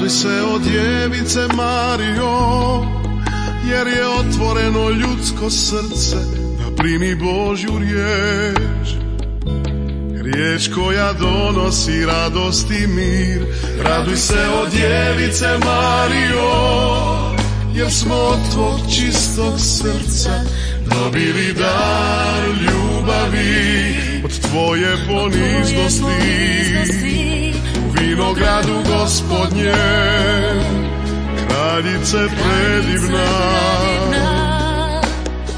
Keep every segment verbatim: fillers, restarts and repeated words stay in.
Raduj se o djevice Marijo, jer je otvoreno ljudsko srce da primi Božju riječ. Riječ koja donosi radost i mir. Raduj se o djevice Marijo, jer smo od tvog čistog srca dobili dar ljubavi. Od tvoje poniznosti u vinogradu Gospodnjem, kraljice predivna,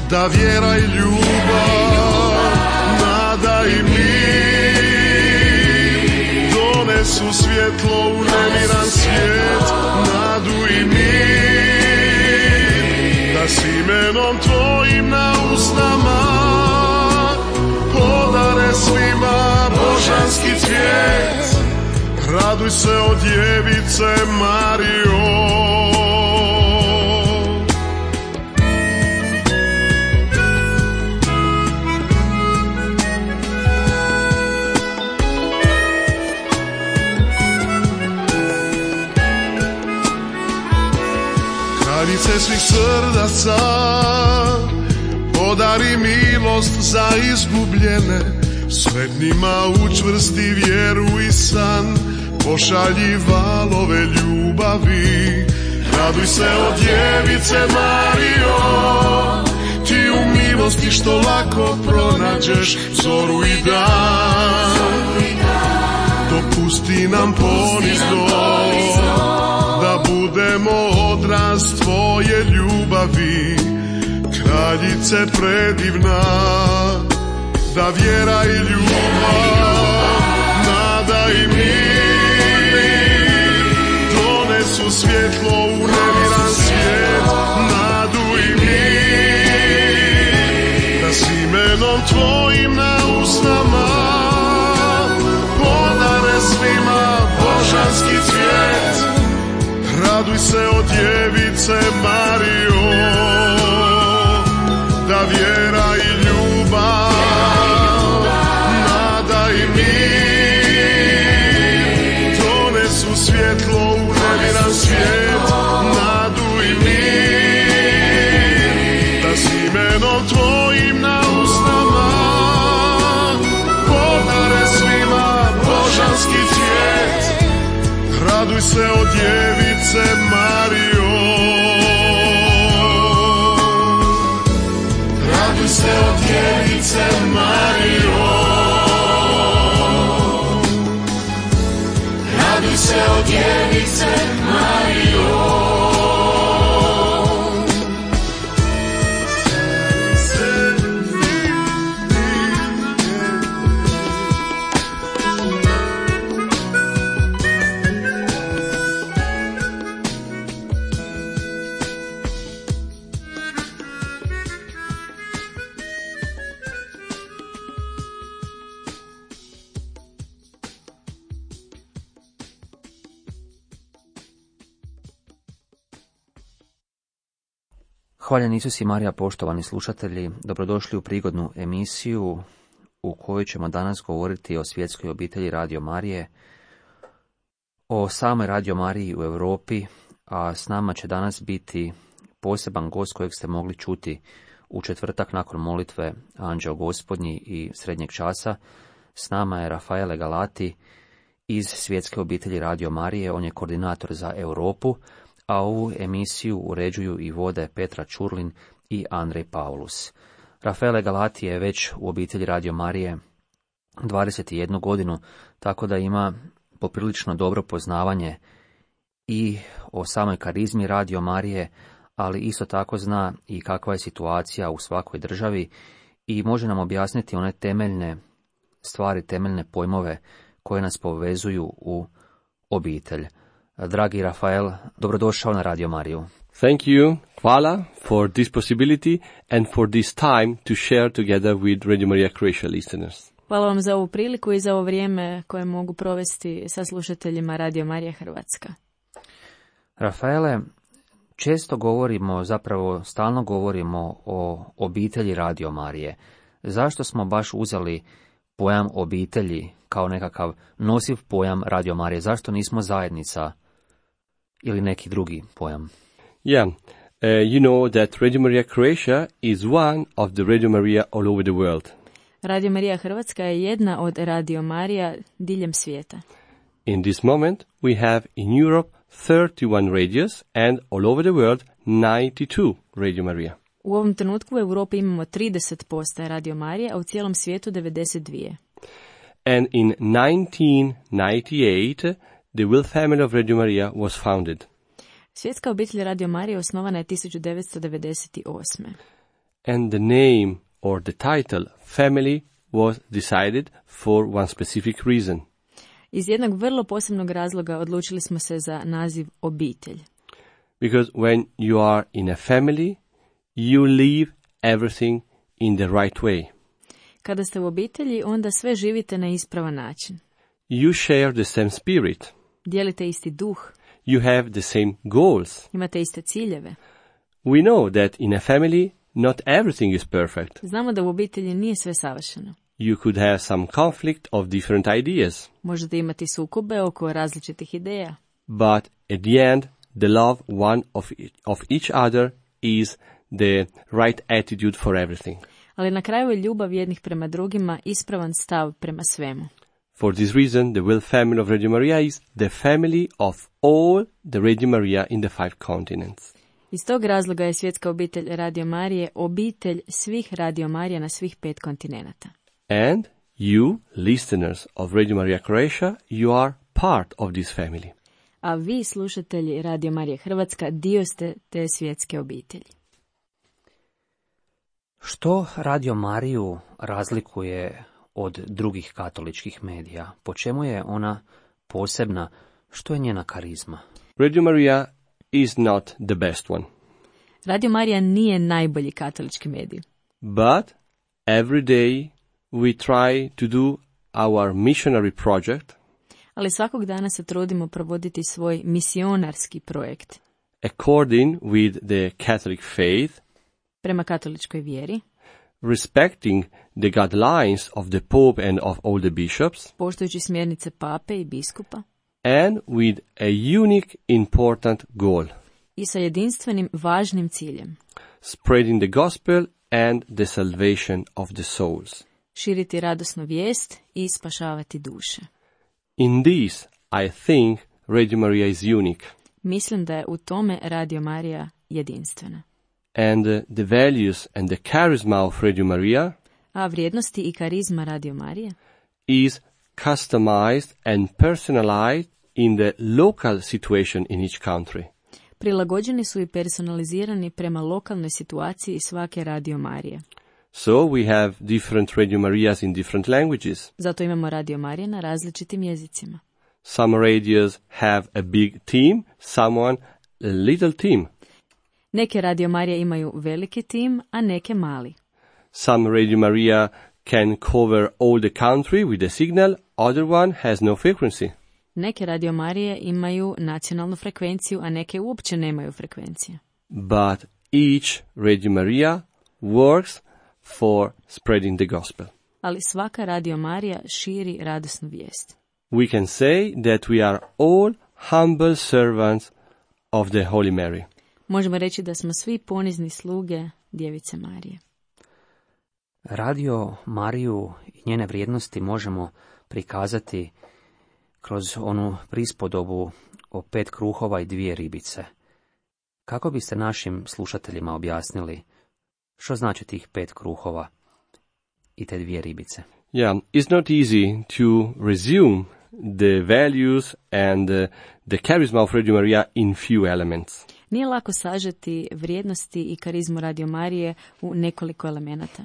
da vjera i ljubav, nada i mir donesu svjetlo u nemiran svijet, nadu i mir, da s imenom tvojim na usnama podare svima božanski cvijet. Raduj se o djevice Marijo. Kraljice svih srdaca, podari milost za izgubljene, sretnima učvrsti vjeru i san, pošalji valove ljubavi. Raduj se o djevice Marijo, ti u milosti što lako pronađeš zoru i dan. Dopusti nam ponizno da budemo odraz tvoje ljubavi, kraljice predivna, da vjera i ljubav, nada i mir donesu svjetlo u nemiran svijet, nadu i mir, da s imenom tvojim na usnama podare svima božanski cvijet. Raduj se o djevice Marijo, da vjera i ljubav, nada i mir donesu svjetlo u nemiran svijet, nadu i mir, da s imenom tvojim na usnama podare svima božanski cvijet. Raduj se o djevice Marijo. Raduj se o djevice Marijo. Raduj se o djevice Marijo. Hvaljen Isus i Marija, poštovani slušatelji, dobrodošli u prigodnu emisiju u kojoj ćemo danas govoriti o svjetskoj obitelji Radio Marije, o samoj Radio Mariji u Europi, a s nama će danas biti poseban gost kojeg ste mogli čuti u četvrtak nakon molitve Anđeo Gospodnji i srednjeg časa. S nama je Rafaele Galati iz svjetske obitelji Radio Marije, on je koordinator za Europu, a ovu emisiju uređuju i vode Petra Čurlin i Andrej Paulus. Rafaele Galati je već u obitelji Radio Marije dvadeset jednu godinu, tako da ima poprilično dobro poznavanje i o samoj karizmi Radio Marije, ali isto tako zna i kakva je situacija u svakoj državi i može nam objasniti one temeljne stvari, temeljne pojmove koje nas povezuju u obitelj. Dragi Rafael, dobrodošao na Radio Mariju. Thank you, hvala, for this possibility and for this time to share together with Radio Maria Croatia listeners. Hvala vam za ovu priliku i za ovo vrijeme koje mogu provesti sa slušateljima Radio Marija Hrvatska. Rafaele, često govorimo, zapravo stalno govorimo o obitelji Radio Marije. Zašto smo baš uzeli pojam obitelji kao nekakav nosiv pojam Radio Marije? Zašto nismo zajednica ili neki drugi pojam? Yeah, uh, you know that Radio Maria Croatia is one of the Radio Maria all over the world. Radio Marija Hrvatska je jedna od Radio Marija diljem svijeta. In this moment, we have in Europe thirty-one radios and all over the world ninety-two Radio Maria. U ovom trenutku u Europi imamo trideset postaja Radio Marije, a u cijelom svijetu devedeset dva. And in nineteen ninety-eight, the Will family of Radio Maria was founded. Svjetska obitelj Radio Marije osnovana je tisuću devetsto devedeset osme. And the name or the title family was decided for one specific reason. Iz jednog vrlo posebnog razloga odlučili smo se za naziv obitelj. Because when you are in a family, you live everything in the right way. Kada ste u obitelji, onda sve živite na ispravan način. You share the same spirit. Dijelite isti duh. You have the same goals. Imate iste ciljeve. We know that in a family, not everything is perfect. Znamo da u obitelji nije sve savršeno. You could have some conflict of different ideas. Možete imati sukobe oko različitih ideja. But at the end, the love one of, of each other is the right attitude for everything. Ali na kraju je ljubav jednih prema drugima ispravan stav prema svemu. For this reason, the Will family of Radio Maria is the family of all the Radio Maria in the five continents. Iz tog razloga je svjetska obitelj Radio Marije obitelj svih Radio Marija na svih pet kontinenata. And you, listeners of Radio Maria Croatia, you are part of this family. A vi, slušatelji Radio Marije Hrvatska, dio ste te svjetske obitelji. Što Radio Mariju razlikuje od drugih katoličkih medija? Po čemu je ona posebna? Što je njena karizma? Radio Maria is not the best one. Radio Marija nije najbolji katolički medij. But every day we try to do our missionary project Ali svakog dana se trudimo provoditi svoj misionarski projekt according with the Catholic faith, prema katoličkoj vjeri, respecting the guidelines of the Pope and of all the bishops, poštujući smjernice pape i biskupa and with a unique important goal, i sa jedinstvenim važnim ciljem: spreading the gospel and the salvation of the souls. širiti radosnu vijest i spašavati duše. In this, I think Radio Maria is unique, Mislim da je u tome Radio Marija jedinstvena. and uh, the values and the charisma of Radio Maria A vrijednosti i karizma Radio Marije is customized and personalized in the local situation in each country. prilagođeni su i personalizirani prema lokalnoj situaciji svake Radio Marije. So we have different Radio Marias in different languages. Zato imamo Radio Marije na različitim jezicima. Some radios have a big team, someone a little team. Neke Radio Marije imaju veliki tim, a neke mali. Some Radio Maria can cover all the country with a signal, other one has no frequency. Neke Radio Marije imaju nacionalnu frekvenciju, a neke uopće nemaju frekvencije. But each Radio Maria works for spreading the gospel. Ali svaka Radio Marija širi radosnu vijest. We can say that we are all humble servants of the Holy Mary. Možemo reći da smo svi ponizni sluge Djevice Marije. Radio Mariju i njene vrijednosti možemo prikazati kroz onu prispodobu o pet kruhova i dvije ribice. Kako biste našim slušateljima objasnili što znači tih pet kruhova i te dvije ribice? Yeah, it's not easy to resume the values and uh, the charisma of Radio Maria in few elements. Nije lako sažeti vrijednosti i karizmu Radio Marije u nekoliko elemenata.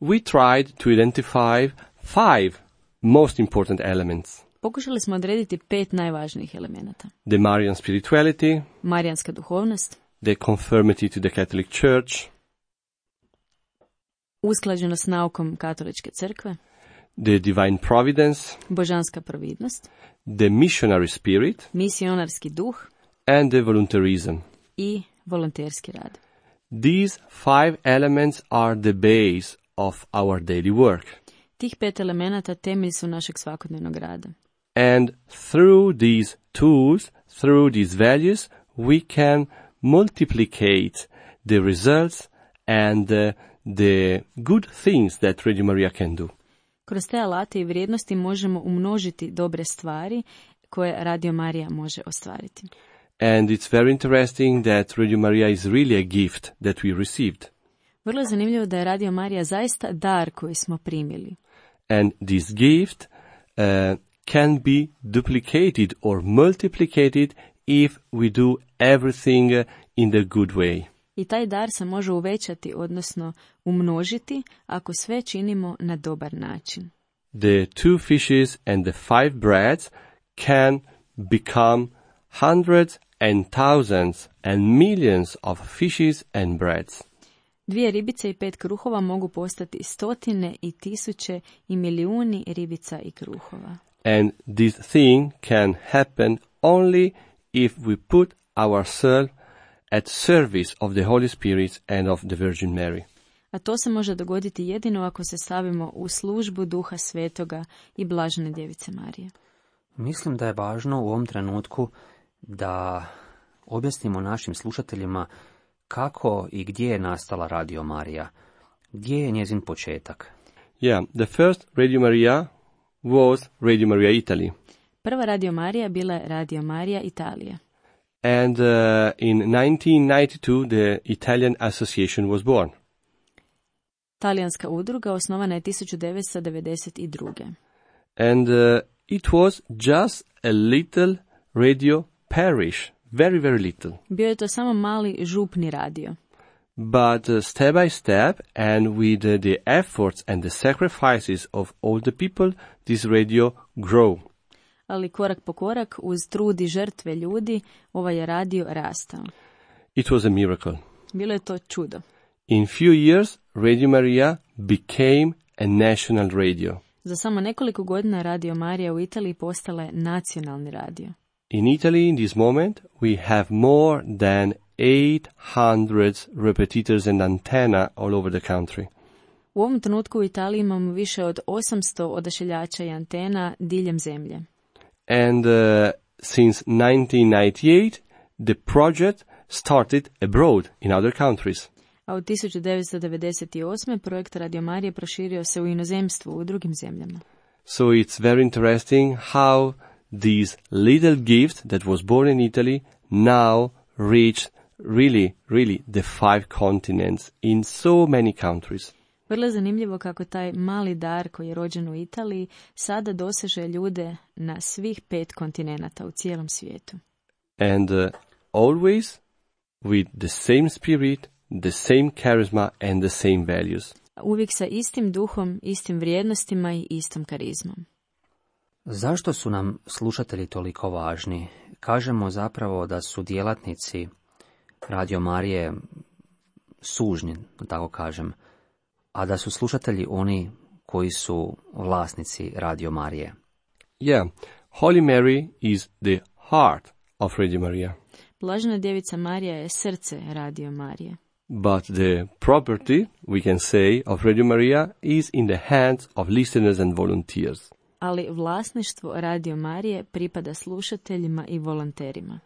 We tried to identify five most important elements. Pokušali smo odrediti pet najvažnijih elemenata. The Marian spirituality, Marijanska duhovnost, the conformity to the Catholic Church, usklađenost s naukom katoličke crkve, the divine providence, božanska providnost, the missionary spirit, misionarski duh and the voluntarism. i volonterski rad. These five elements are the base of our daily work. Tih pet elemenata temelj su našeg svakodnevnog rada. And through these tools, through these values, we can multiplicate the results and uh, the good things that Radio Maria can do. Kroz te alate i vrijednosti možemo umnožiti dobre stvari koje Radio Marija može ostvariti. And it's very interesting that Radio Maria is really a gift that we received. Vrlo je zanimljivo da je Radio Marija zaista dar koji smo primili. And this gift uh, can be duplicated or multiplicated if we do everything uh, in the good way. I taj dar se može uvećati, odnosno umnožiti, ako sve činimo na dobar način. The two fishes and the five breads can become hundreds and thousands and millions of fishes and breads. Dvije ribice i pet kruhova mogu postati stotine i tisuće i milijuni ribica i kruhova. And this thing can happen only if we put ourselves at service of the Holy Spirit and of the Virgin Mary. A to se može dogoditi jedino ako se stavimo u službu Duha Svetoga i Blažene Djevice Marije. Mislim da je važno u ovom trenutku da objasnimo našim slušateljima kako i gdje je nastala Radio Marija, gdje je njezin početak. Yeah, the first Radio Maria was Radio Maria Italy. Prva Radio Marija bila je Radio Marija Italija. And uh, in nineteen ninety-two the Italian Association was born. Talijanska udruga osnovana je tisuću devetsto devedeset druge. And uh, it was just a little radio parish, very, very little. Bio je to samo mali župni radio. But uh, step by step and with uh, the efforts and the sacrifices of all the people, this radio grew. Ali korak po korak, uz trud i žrtve ljudi, ovaj je radio rastao. It was a miracle. Bilo je to čudo. In few years, Radio Maria became a national radio. Za samo nekoliko godina Radio Marija u Italiji postala je nacionalni radio. In Italy, in this moment, we have more than eight hundred repetitors and antenna all over the country. U ovom trenutku u Italiji imamo više od osamsto odašiljača i antena diljem zemlje. And uh, since nineteen ninety-eight, the project started abroad in other countries. A od tisuću devetsto devedeset osme. projekt Radio Marije proširio se u inozemstvu u drugim zemljama. So it's very interesting how this little gift that was born in Italy now reached really, really the five continents in so many countries. Vrlo je zanimljivo kako taj mali dar koji je rođen u Italiji sada doseže ljude na svih pet kontinenata u cijelom svijetu. And uh, always with the same spirit, the same charisma and the same values. Uvijek sa istim duhom, istim vrijednostima i istom karizmom. Zašto su nam slušatelji toliko važni? Kažemo zapravo da su djelatnici Radio Marije sužnji, da tako kažem, a da su slušatelji oni koji su vlasnici Radio Marije. Yeah, Holy Mary is the heart of Radio Maria. Blažena Djevica Marija je srce Radio Marije. But the property, we can say, of Radio Maria is in the hands of listeners and volunteers. Ali vlasništvo Radio Marije pripada slušateljima i volonterima.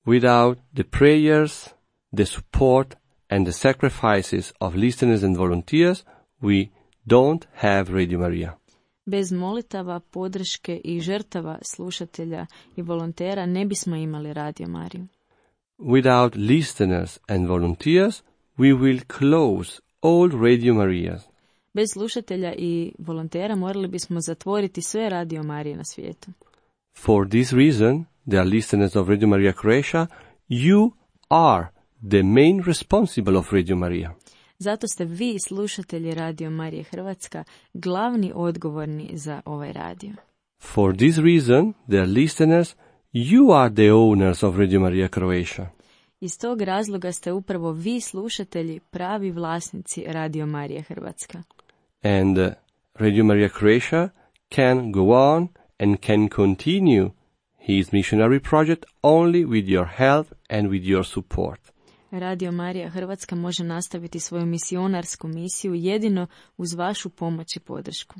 Without the prayers, the support and the sacrifices of listeners and volunteers, we don't have Radio Maria. Bez molitava, podrške i žrtava slušatelja i volontera ne bismo imali Radio Mariju. Without listeners and volunteers, we will close all Radio Marias. Bez slušatelja i volontera morali bismo zatvoriti sve Radio Marije na svijetu. For this reason, dear listeners of Radio Maria Croatia, you are the main responsible of Radio Maria. Zato ste vi, slušatelji Radio Marije Hrvatska, glavni odgovorni za ovaj radio. For this reason, dear listeners, you are the owners of Radio Maria Croatia. Iz tog razloga ste upravo vi, slušatelji, pravi vlasnici Radio Marije Hrvatska. And uh, Radio Maria Croatia can go on and can continue his missionary project only with your help and with your support. Radio Marija Hrvatska može nastaviti svoju misionarsku misiju jedino uz vašu pomoć i podršku.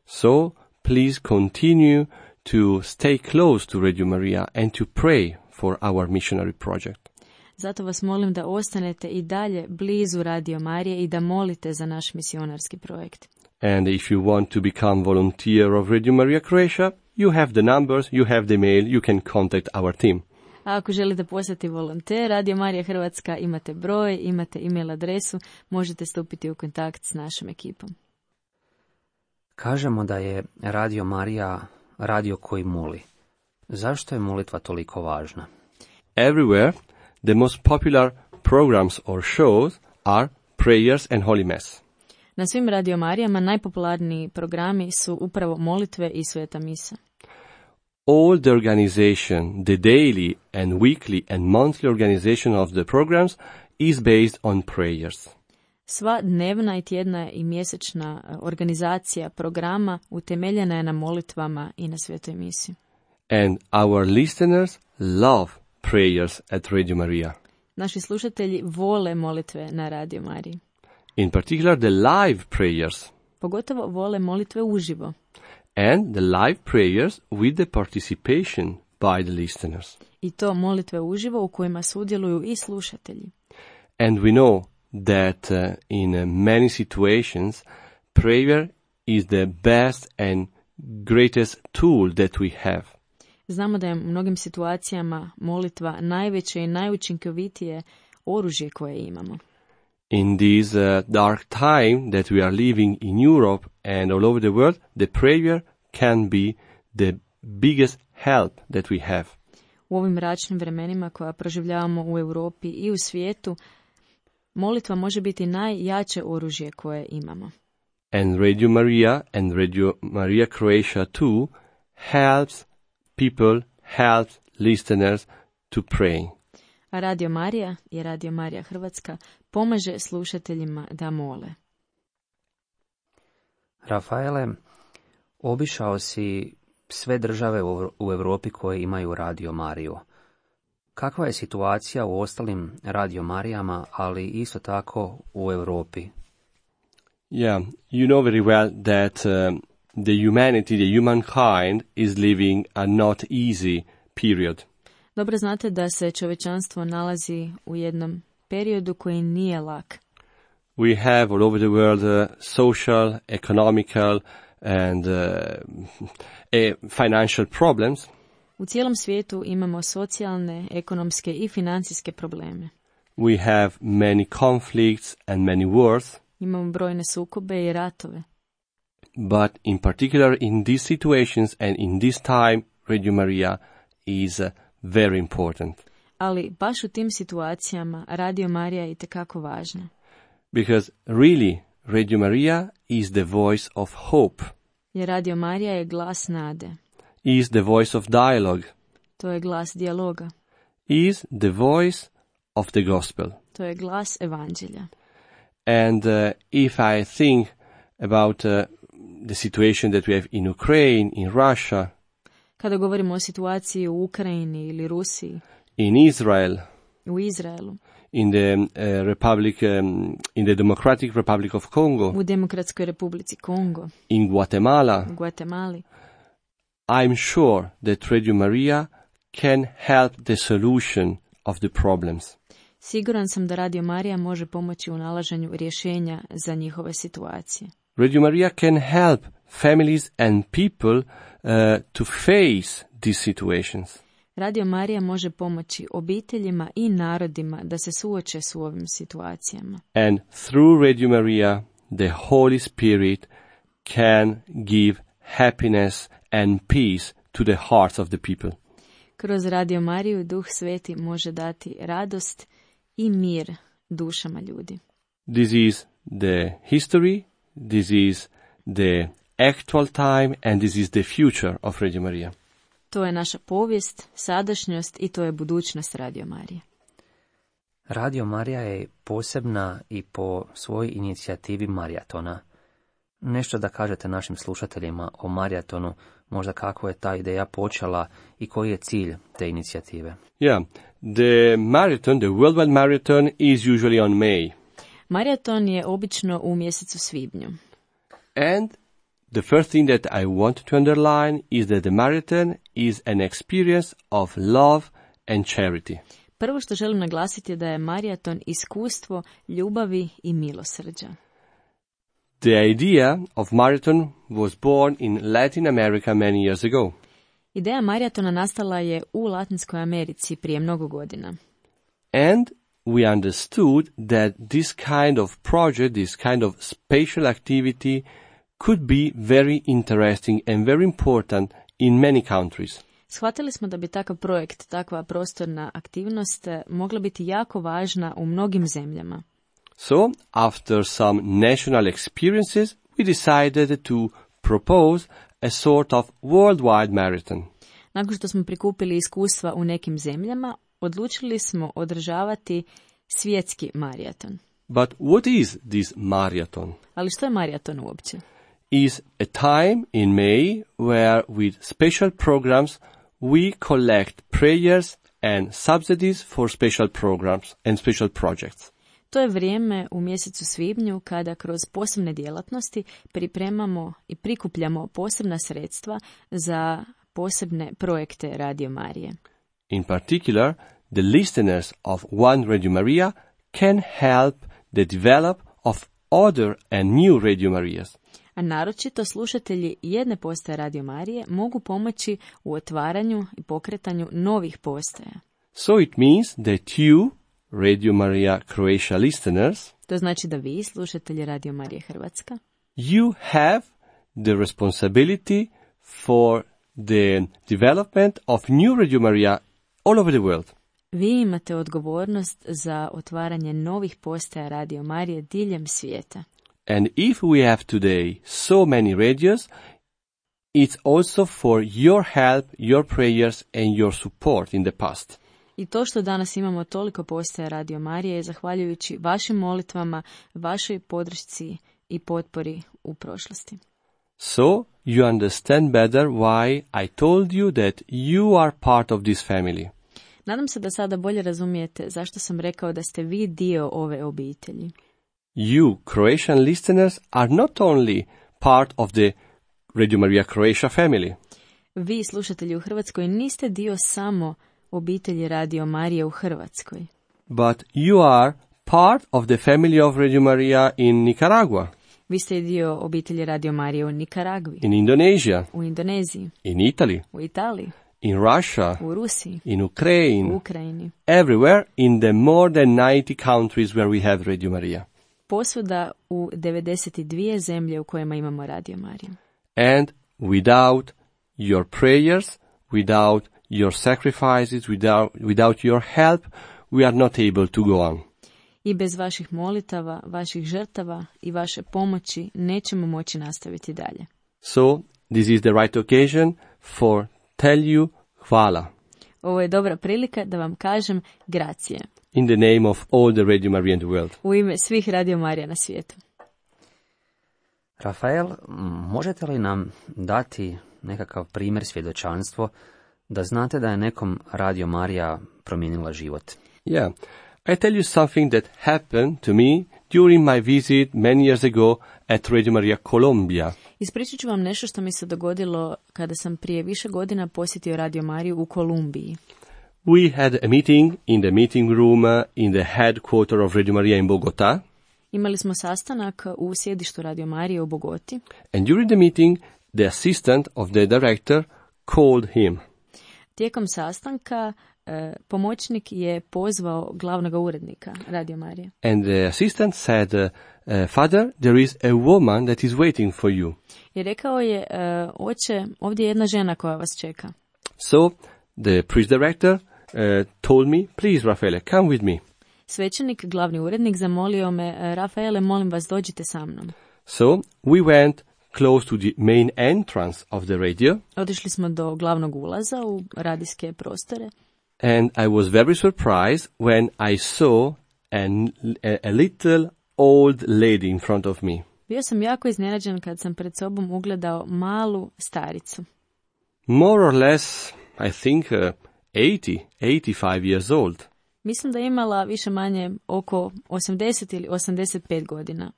So, please continue to stay close to Radio Maria and to pray for our missionary project. Zato vas molim da ostanete i dalje blizu Radio Marije i da molite za naš misionarski projekt. And if you want to become volunteer of Radio Maria Croatia, you have the numbers, you have the mail, you can contact our team. A ako želite postati volonter Radio Marija Hrvatska, imate broj, imate email adresu, možete stupiti u kontakt s našom ekipom. Kažemo da je Radio Marija radio koji moli. Zašto je molitva toliko važna? Everywhere, the most popular programs or shows are prayers and Holy Mass. Na svim Radio Marijama najpopularniji programi su upravo molitve i sveta misa. All the organization, the daily and weekly and monthly organization of the programs is based on prayers. Sva dnevna i tjedna i mjesečna organizacija programa utemeljena je na molitvama i na svetoj misi. And our listeners love prayers at Radio Maria. Naši slušatelji vole molitve na Radio Mariji. In particular the live prayers. Pogotovo vole molitve uživo. And the live prayers with the participation by the listeners. I to molitve uživo u kojima sudjeluju i slušatelji. And we know that uh, in uh, many situations prayer is the best and greatest tool that we have. Znamo da je u mnogim situacijama molitva najveće i najučinkovitije oružje koje imamo. In this uh, dark time that we are living in Europe and all over the world, the prayer can be the biggest help that we have. U ovim mračnim vremenima koja proživljavamo u Europi i u svijetu, molitva može biti najjače oružje koje imamo. And Radio Maria and Radio Maria Croatia too helps people, helps listeners to pray. A Radio Marija i Radio Marija Hrvatska pomaže slušateljima da mole. Rafaele, obišao si sve države u Europi koje imaju Radio Mariju. Kakva je situacija u ostalim Radio Marijama, ali isto tako u Europi? Yeah, you know very well that um, the humanity, the humankind is living a not easy period. Dobro znate da se čovječanstvo nalazi u jednom periodu koji nije lak. We have all over the world uh, social, economical and uh, uh, financial problems. U cijelom svijetu imamo socijalne, ekonomske i financijske probleme. We have many conflicts and many wars. Imamo brojne sukobe i ratove. But in particular in these situations and in this time, Radio Maria is uh, very important. Ali baš u tim situacijama Radio Marija je itekako važna. Because really, Radio Maria is the voice of hope. Jer Radio Marija je glas nade. Is the voice of dialogue. To je glas dijaloga. Is the voice of the gospel. To je glas evanđelja. And uh, if I think about uh, the situation that we have in Ukraine, in Russia, kada govorimo o situaciji u Ukrajini ili Rusiji, in Israel, u Izraelu, in the uh, Republic, um, in the Democratic Republic of Congo, u Demokratskoj Republici Kongo, in Guatemala, u Guatemali, I'm sure that Radio Maria can help the solution of the problems. Siguran sam da Radio Marija može pomoći u nalaženju rješenja za njihove situacije. Radio Maria can help families and people uh, to face these situations. Radio Marija može pomoći obiteljima i narodima da se suoče s ovim situacijama. And through Radio Maria, the Holy Spirit can give happiness and peace to the hearts of the people. Kroz Radio Mariju Duh Sveti može dati radost i mir dušama ljudi. This is the history, this is the actual time, and this is the future of Radio Maria. To je naša povijest, sadašnjost i to je budućnost Radio Marije. Radio Marija je posebna i po svojoj inicijativi maratona. Nešto da kažete našim slušateljima o maratonu, možda kako je ta ideja počela i koji je cilj te inicijative. Yeah, the marathon, the worldwide marathon is usually on May. Maraton je obično u mjesecu svibnju. And the first thing that I want to underline is that the marathon is an experience of love and charity. Prvo što želim naglasiti je da je maraton iskustvo ljubavi i milosrđa. The idea of marathon was born in Latin America many years ago. Ideja maratona nastala je u Latinskoj Americi prije mnogo godina. And we understood that this kind of project, this kind of special activity could be very interesting and very important in many countries. Shvatili smo da bi takav projekt, takva prostorna aktivnost mogla biti jako važna u mnogim zemljama. So, after some national experiences, we decided to propose a sort of worldwide marathon. Nakon što smo prikupili iskustva u nekim zemljama, odlučili smo održavati svjetski maraton. But what is this marathon? Ali što je maraton uopće? Is a time in May where with special programs we collect prayers and subsidies for special programs and special projects. To je vrijeme u mjesecu svibnju kada kroz posebne djelatnosti pripremamo i prikupljamo posebna sredstva za posebne projekte Radio Marije. In particular, the listeners of One Radio Maria can help the develop of other and new Radio Marias. A naročito slušatelji jedne postaje Radio Marije mogu pomoći u otvaranju i pokretanju novih postaja. So it means that you, Radio Maria Croatia listeners, To znači da vi, slušatelji Radio Marije Hrvatska, you have the responsibility for the development of new Radio Maria all over the world. vi imate odgovornost za otvaranje novih postaja Radio Marije diljem svijeta. And if we have today so many radios, it's also for your help, your prayers and your support in the past. I to što danas imamo toliko postaja Radio Marije je zahvaljujući vašim molitvama, vašoj podršci i potpori u prošlosti. So you understand better why I told you that you are part of this family. Nadam se da sada bolje razumijete zašto sam rekao da ste vi dio ove obitelji. You, Croatian listeners, are not only part of the Radio Maria Croatia family. Vi, slušatelji u Hrvatskoj, niste dio samo obitelji Radio Marije u Hrvatskoj, But you are part of the family of Radio Maria in Nicaragua, vi ste i dio obitelji Radio Marije u Nikaragvi, in Indonesia, u Indoneziji, in Italy, u Italiji, in Russia, u Rusiji, in u Ukraine, Ukrajini, everywhere in the more than ninety countries where we have Radio Maria. posvuda u devedeset dvije zemlje u kojima imamo Radio Mariju. And without your prayers, without your sacrifices, without, without your help, we are not able to go on. I bez vaših molitava, vaših žrtava i vaše pomoći nećemo moći nastaviti dalje. So, this is the right occasion for tell you hvala Ovo je dobra prilika da vam kažem gracije in the name of all the Radio Maria in the world. u ime svih Radio Marija na svijetu. Rafael, možete li nam dati nekakav primjer svjedočanstvo da znate da je nekom Radio Marija promijenila život? Yeah, I tell you something that happened to me during my visit many years ago at Radio Maria Colombia. Ispričat ću vam nešto što mi se dogodilo kada sam prije više godina posjetio Radio Mariju u Kolumbiji. We had a meeting in the meeting room uh, in the headquarters of Radio Maria in Bogota. Imali smo sastanak u sjedištu Radio Marije u Bogoti. And during the meeting, the assistant of the director called him. Tijekom sastanka e, pomoćnik je pozvao glavnog urednika Radio Marije. And the assistant said, uh, uh, Father, there is a woman that is waiting for you. I rekao je, e, oče, ovdje je jedna žena koja vas čeka. So the priest director uh, told me, please, Rafaele, come with me. Svećenik, glavni urednik, zamolio me, Rafaele, molim vas, dođite sa mnom. So we went close to the main entrance of the radio. Otišli smo do glavnog ulaza u radijske prostore. And I was very surprised when I saw an, a, a little old lady in front of me. Bio sam jako iznenađen kad sam pred sobom ugledao malu staricu. More or less, I think, uh, eighty, eighty-five years old. Mislim da je imala više manje oko osamdeset ili osamdeset pet godina.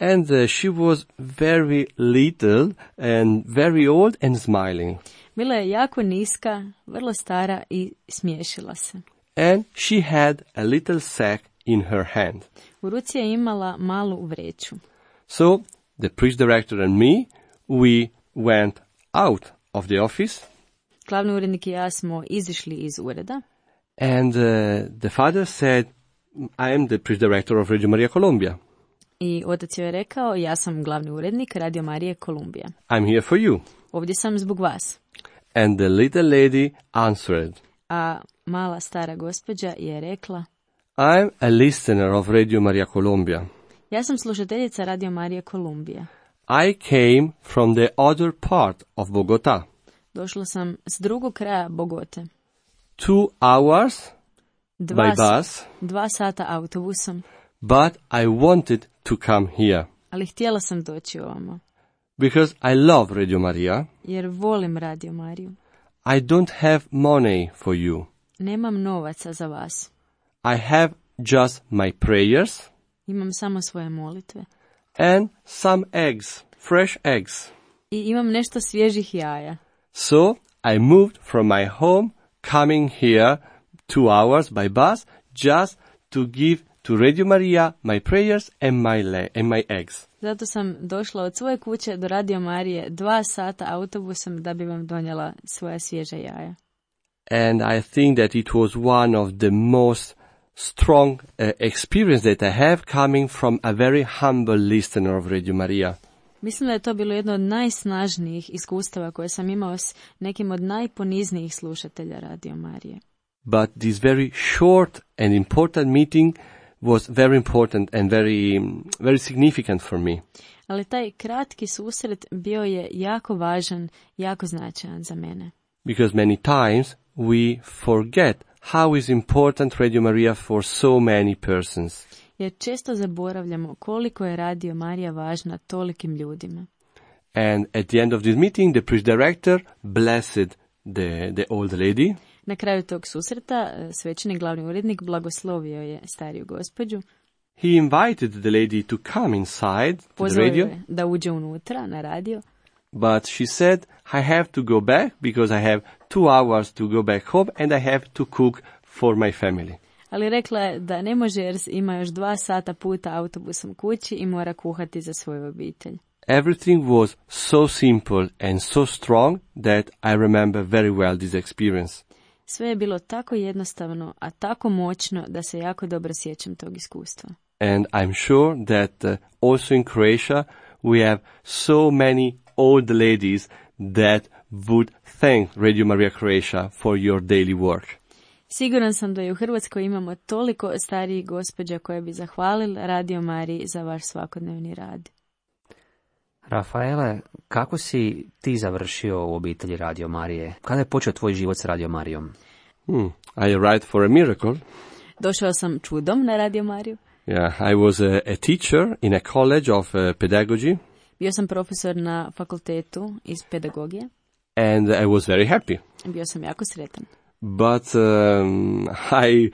And uh, she was very little and very old and smiling. Bila je jako niska, vrlo stara i smiješila se. And she had a little sack in her hand. U ruci je imala malu vreću. So the priest director and me, we went out of the office. Glavni urednik i ja smo izišli iz ureda. And uh, the father said, I am the priest director of Radio Maria Colombia. I otac je rekao, ja sam glavni urednik Radio Marije Kolumbija. I'm here for you. Ovdje sam zbog vas. And the little lady answered, A mala stara gospođa je rekla, I'm a listener of Radio Maria Colombia. ja sam slušateljica Radio Marije Kolumbija. I came from the other part of Bogota. Došla sam s drugog kraja Bogote. Two hours Dva, by bus, dva sata autobusom, but I wanted to come here ali htjela sam doći ovamo, because I love Radio Maria. jer volim Radio Mariju. I don't have money for you. Nemam novaca za vas. I have just my prayers Imam samo svoje molitve. and some eggs, fresh eggs. I imam nešto svježih jaja. So I moved from my home, coming here two hours by bus, just to give to Radio Maria my prayers and my le- and my eggs. Zato sam došla od svoje kuće do Radio Marije dva sata autobusom da bi vam donijela svoja svježa jaja. And I think that it was one of the most strong uh, experience that I have coming from a very humble listener of Radio Maria. Mislim da je to bilo jedno od najsnažnijih iskustava koje sam imao s nekim od najponiznijih slušatelja Radio Marije. But this very short and important meeting was very important and very, very significant for me. Ali taj kratki susret bio je jako važan, jako značajan za mene. Because many times we forget how is important Radio Maria for so many persons. Jer često zaboravljamo koliko je Radio Marija važna tolikim ljudima. And at the end of this meeting, the priest director blessed the, the old lady. Na kraju tog susreta svećenik glavni urednik blagoslovio je stariju gospođu. He invited the lady to come inside to the Pozvao radio, je da uđe unutra na radio. but she said, I have to go back because I have two hours to go back home and I have to cook for my family. Ali rekla je da ne može jer ima još dva sata puta autobusom kući i mora kuhati za svoju obitelj. Everything was so simple and so strong that I remember very well this experience. Sve je bilo tako jednostavno, a tako moćno da se jako dobro sjećam tog iskustva. And I'm sure that uh, also in Croatia we have so many old ladies that would thank Radio Maria Croatia for your daily work. Siguran sam da i u Hrvatskoj imamo toliko starijih gospođa koje bi zahvalili Radio Mariji za vaš svakodnevni rad. Rafaele, kako si ti završio u obitelji Radio Marije? Kada je počeo tvoj život s Radio Marijom? Hmm. I arrived for a miracle. Došao sam čudom na Radio Mariju. Yeah, I was a, a teacher in a college of uh, pedagogy, Bio sam profesor na fakultetu iz pedagogije. and I was very happy. Bio sam jako sretan. But um, I,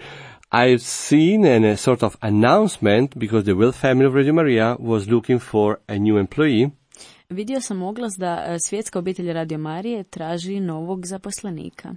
I've seen an, a sort of announcement because the Will family of Radio Maria was looking for a new employee. Vidio sam oglas da e, svjetska obitelj Radio Marije traži novog zaposlenika.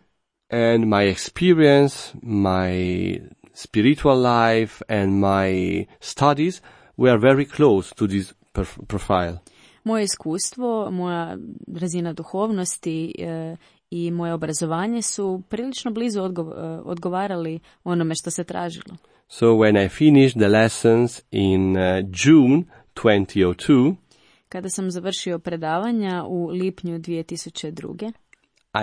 And my experience, my spiritual life, and my studies were very close to this perf- profile. Moje iskustvo, moja razina duhovnosti e, i moje obrazovanje su prilično blizu odgo- e, odgovarali onome što se tražilo. So when I finished the lessons in uh, June twenty oh two, Kada sam završio predavanja u lipnju dvije tisuće druge.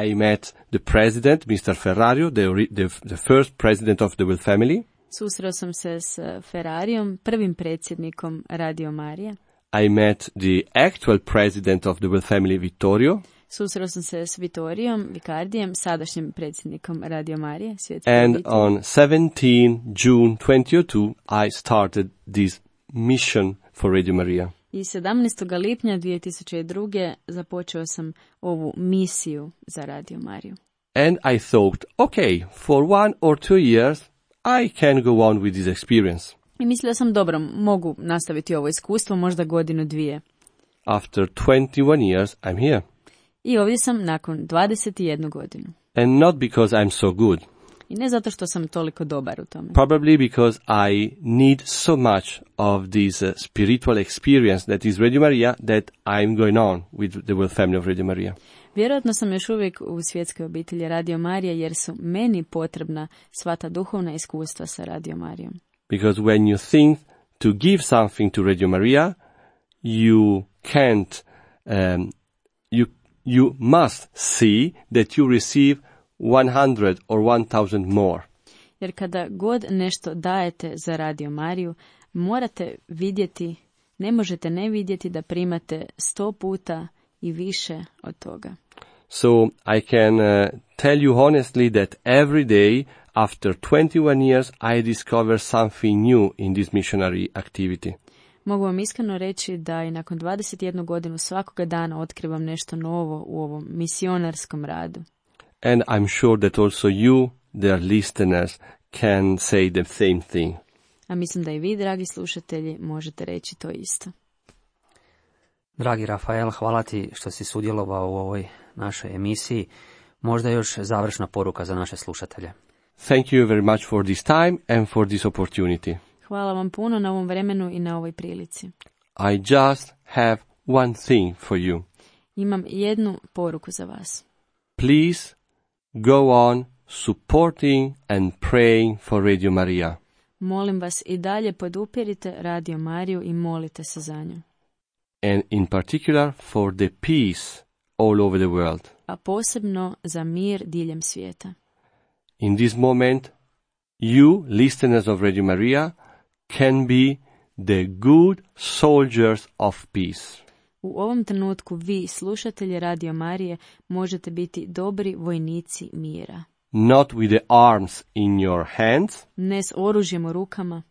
I met the president, Mister Ferrario, the, ori- the, the first president of the Will family. Susreo sam se s Ferrarijom, prvim predsjednikom Radio Marije. I met the actual president of the Will family, Vittorio. Susreo sam se s Vitorijom Vikardijem, sadašnjim predsjednikom Radio Marije, svjetske And obitelji. on seventeenth June twenty oh two, I started this mission for Radio Maria. I sedamnaestog lipnja dvije tisuće druge. započeo sam ovu misiju za Radio Mariju. And I thought, okay, for one or two years, I can go on with this experience. I mislila sam, dobro, mogu nastaviti ovo iskustvo, možda godinu dvije. After twenty-one years, I'm here. I ovdje sam nakon dvadeset jednu godinu. And not because I'm so good. I ne zato što sam toliko dobar u tome. Probably because I need so much of this uh, spiritual experience that is Radio Maria that I'm going on with the whole family of Radio Maria. Vjerojatno sam još uvijek u svjetskoj obitelji Radio Marija jer su meni potrebna sva ta duhovna iskustva sa Radio Marijom. Because when you think to give something to Radio Maria, you can't, um, you you must see that you receive one hundred or one thousand more. Jer kada god nešto dajete za Radio Mariju, morate vidjeti, ne možete ne vidjeti da primate sto puta i više od toga. So I can uh, tell you honestly that every day after twenty-one years I discover something new in this missionary activity. Mogu vam iskreno reći da i nakon dvadeset jednu godinu svakoga dana otkrivam nešto novo u ovom misionarskom radu. And I'm sure that also you, dear listeners, can say the same thing. A mislim da i vi, dragi slušatelji, možete reći to isto. Dragi Rafael, hvala ti što si sudjelovao u ovoj našoj emisiji. Možda još završna poruka za naše slušatelje. Thank you very much for this time and for this opportunity. Hvala vam puno na ovom vremenu i na ovoj prilici. I just have one thing for you. Imam jednu poruku za vas. Please go on supporting and praying for Radio Maria. Molim vas i dalje podupirite Radio Mariju i molite se za nju. And in particular for the peace all over the world. A posebno za mir diljem svijeta. In this moment, you, listeners of Radio Maria, can be the good soldiers of peace. U ovom trenutku vi, slušatelji Radio Marije, možete biti dobri vojnici mira. Not with the arms in your hands, Ne s oružjem u rukama,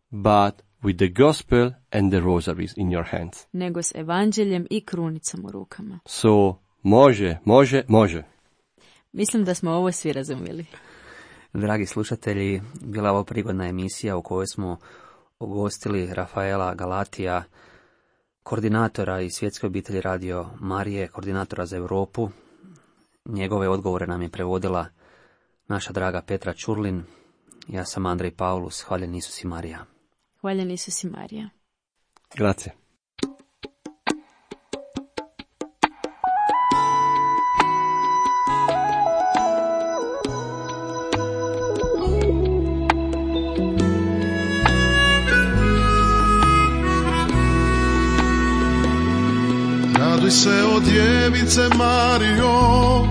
but with the gospel and the rosaries in your hands. nego s evanđeljem i krunicom u rukama. So, može, može, može. Mislim da smo ovo svi razumjeli. Dragi slušatelji, bila je ovo prigodna emisija u kojoj smo ugostili Rafaela Galatija, koordinatora iz Svjetske obitelji Radio Marije, koordinatora za Europu. Njegove odgovore nam je prevodila naša draga Petra Čurlin. Ja sam Andrej Paulus, hvaljen Isus i Marija. Hvaljen Isus i Marija. Grazie. Raduj se o djevice Marijo,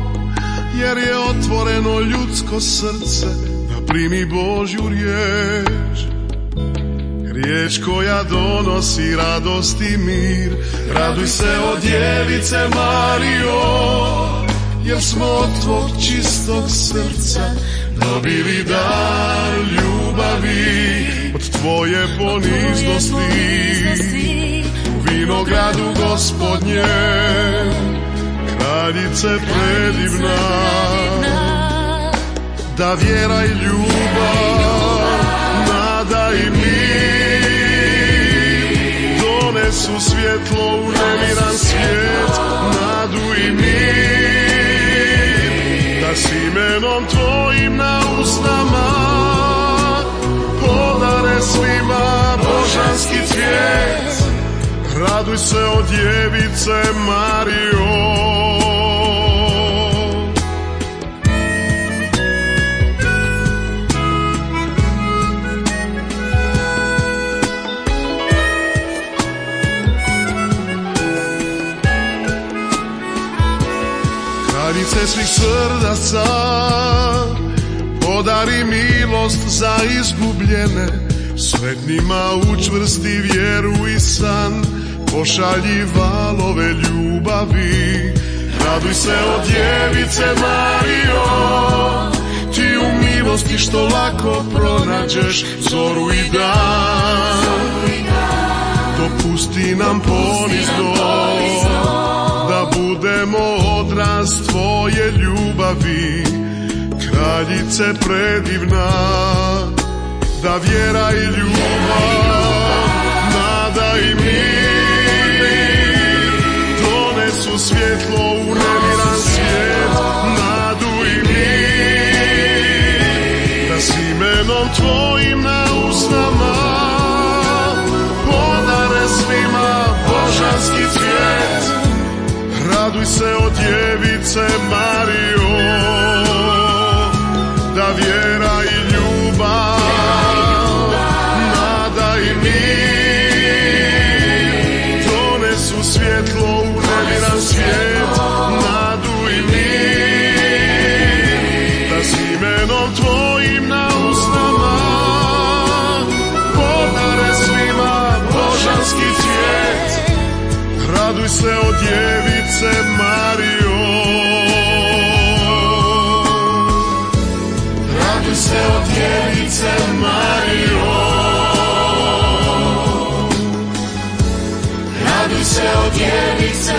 jer je otvoreno ljudsko srce da primi Božju riječ. Riječ koja donosi radost i mir. Raduj se o djevice Marijo, jer smo od tvog čistog srca dobili dar ljubavi. Od tvoje poniznosti u vinogradu Gospodnje, kraljice predivna, da vjera i ljubav, nada i mir donesu svjetlo u nemiran svijet, nadu i mir, da s imenom tvojim na usnama podare svima božanski cvijet. Raduj se o djevice Marijo. Kraljice svih srdaca, podari milost za izgubljene, sretnima učvrsti vjeru i san, pošalji valove ljubavi. Raduj se o djevice Marijo, ti u milosti što lako pronađeš zoru i dan. Dopusti nam ponizno da budemo odraz tvoje ljubavi, kraljice predivna, da vjera i ljubav, nada i mir donesu svjetlo u nemir imenom tvojim na usnama, podare svima božanski cvijet. Raduj se o djevice Marijo, da vjera i ljubav, nada i mir donesu svjetlo u neviran svijet, nadu i mir, da s imenom tvojim na usnama podare svima božanski cvijet. Raduj se o djevice Marijo, raduj se o djevice Marijo, raduj se o djevice